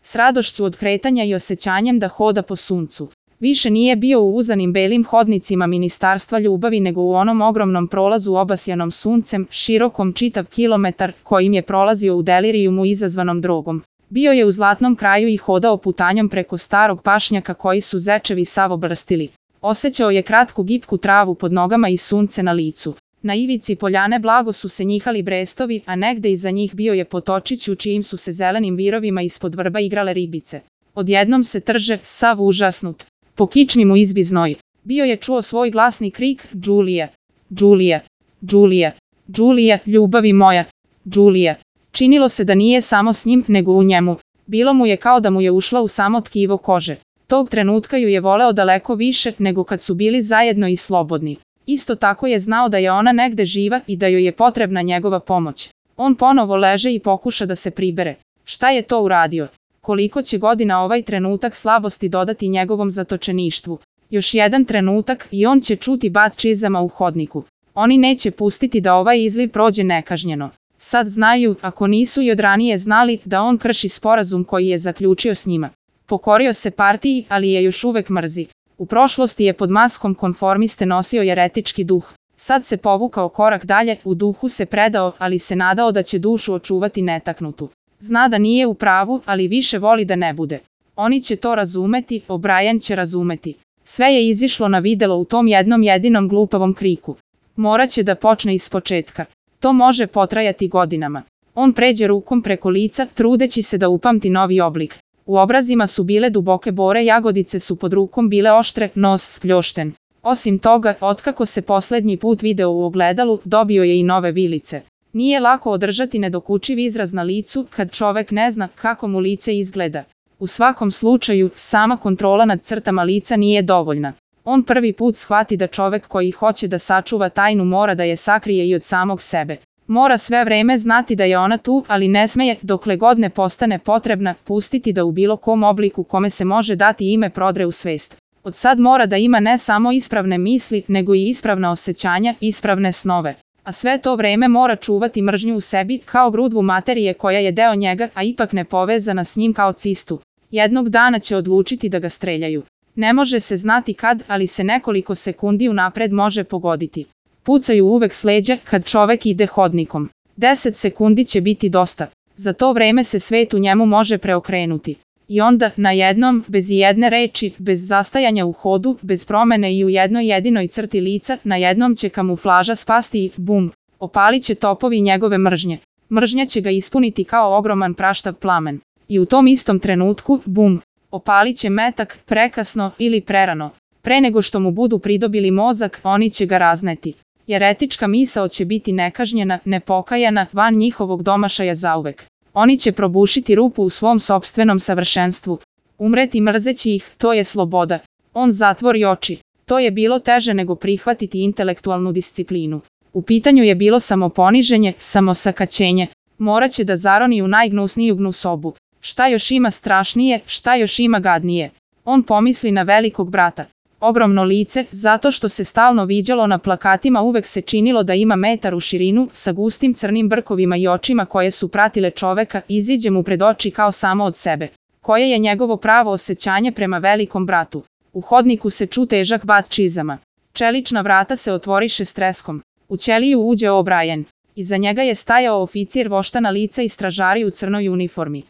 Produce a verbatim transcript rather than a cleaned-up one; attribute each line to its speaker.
Speaker 1: s radošću od kretanja i osjećanjem da hoda po suncu. Više nije bio u uzanim belim hodnicima Ministarstva ljubavi nego u onom ogromnom prolazu obasjanom suncem, širokom čitav kilometar, kojim je prolazio u delirijumu izazvanom drogom. Bio je u zlatnom kraju i hodao putanjom preko starog pašnjaka koji su zečevi sav obrstili. Osjećao je kratku gipku travu pod nogama i sunce na licu. Na ivici poljane blago su se njihali brestovi, a negde iza njih bio je potočić u čijim su se zelenim virovima ispod vrba igrale ribice. Odjednom se trže, sav užasnut. Po kičmi mu izbi znoj. Bio je čuo svoj glasni krik, Đulije, Đulije, Đulije, Đulije, ljubavi moja, Đulije. Činilo se da nije samo s njim, nego u njemu. Bilo mu je kao da mu je ušla u samo tkivo kože. Tog trenutka ju je voleo daleko više nego kad su bili zajedno i slobodni. Isto tako je znao da je ona negde živa i da joj je potrebna njegova pomoć. On ponovo leže i pokuša da se pribere. Šta je to uradio? Koliko će godina ovaj trenutak slabosti dodati njegovom zatočeništvu? Još jedan trenutak i on će čuti bat čizama u hodniku. Oni neće pustiti da ovaj izliv prođe nekažnjeno. Sad znaju, ako nisu i od ranije znali, da on krši sporazum koji je zaključio s njima. Pokorio se partiji, ali je još uvek mrzi. U prošlosti je pod maskom konformiste nosio jeretički duh. Sad se povukao korak dalje, u duhu se predao, ali se nadao da će dušu očuvati netaknutu. Zna da nije u pravu, ali više voli da ne bude. Oni će to razumeti, O'Brien će razumeti. Sve je izišlo na videlo u tom jednom jedinom glupavom kriku. Moraće da počne ispočetka. To može potrajati godinama. On pređe rukom preko lica, trudeći se da upamti novi oblik. U obrazima su bile duboke bore, jagodice su pod rukom bile oštre, nos spljošten. Osim toga, otkako se poslednji put video u ogledalu, dobio je i nove vilice. Nije lako održati nedokučiv izraz na licu kad čovek ne zna kako mu lice izgleda. U svakom slučaju, sama kontrola nad crtama lica nije dovoljna. On prvi put shvati da čovek koji hoće da sačuva tajnu mora da je sakrije i od samog sebe. Mora sve vreme znati da je ona tu, ali ne smeje, dokle god ne postane potrebna, pustiti da u bilo kom obliku kome se može dati ime prodre u svest. Od sad mora da ima ne samo ispravne misli, nego i ispravna osjećanja, ispravne snove. A sve to vreme mora čuvati mržnju u sebi, kao grudvu materije koja je deo njega, a ipak ne povezana s njim kao cistu. Jednog dana će odlučiti da ga streljaju. Ne može se znati kad, ali se nekoliko sekundi unapred može pogoditi. Pucaju uvek s leđa kad čovek ide hodnikom. Deset sekundi će biti dosta. Za to vreme se svet u njemu može preokrenuti. I onda, najednom, bez ijedne reči, bez zastajanja u hodu, bez promene i u jednoj jedinoj crti lica, najednom će kamuflaža spasti i, bum, opalit će topovi njegove mržnje. Mržnja će ga ispuniti kao ogroman praštav plamen. I u tom istom trenutku, bum, opalit će metak, prekasno ili prerano. Pre nego što mu budu pridobili mozak, oni će ga razneti. Jeretička misao će biti nekažnjena, nepokajana, van njihovog domašaja zauvek. Oni će probušiti rupu u svom sopstvenom savršenstvu. Umreti mrzeći ih, to je sloboda. On zatvori oči. To je bilo teže nego prihvatiti intelektualnu disciplinu. U pitanju je bilo samoponiženje, samosakaćenje. Moraće da zaroni u najgnusniju gnusobu. Šta još ima strašnije, šta još ima gadnije? On pomisli na velikog brata. Ogromno lice, zato što se stalno viđalo na plakatima, uvek se činilo da ima metar u širinu, sa gustim crnim brkovima i očima koje su pratile čoveka, iziđe mu pred oči kao samo od sebe. Koje je njegovo pravo osjećanje prema velikom bratu? U hodniku se ču težak bat čizama. Čelična vrata se otvoriše s treskom. U ćeliju uđe O'Brien. Iza njega je stajao oficir voštana lica i stražari u crnoj uniformi.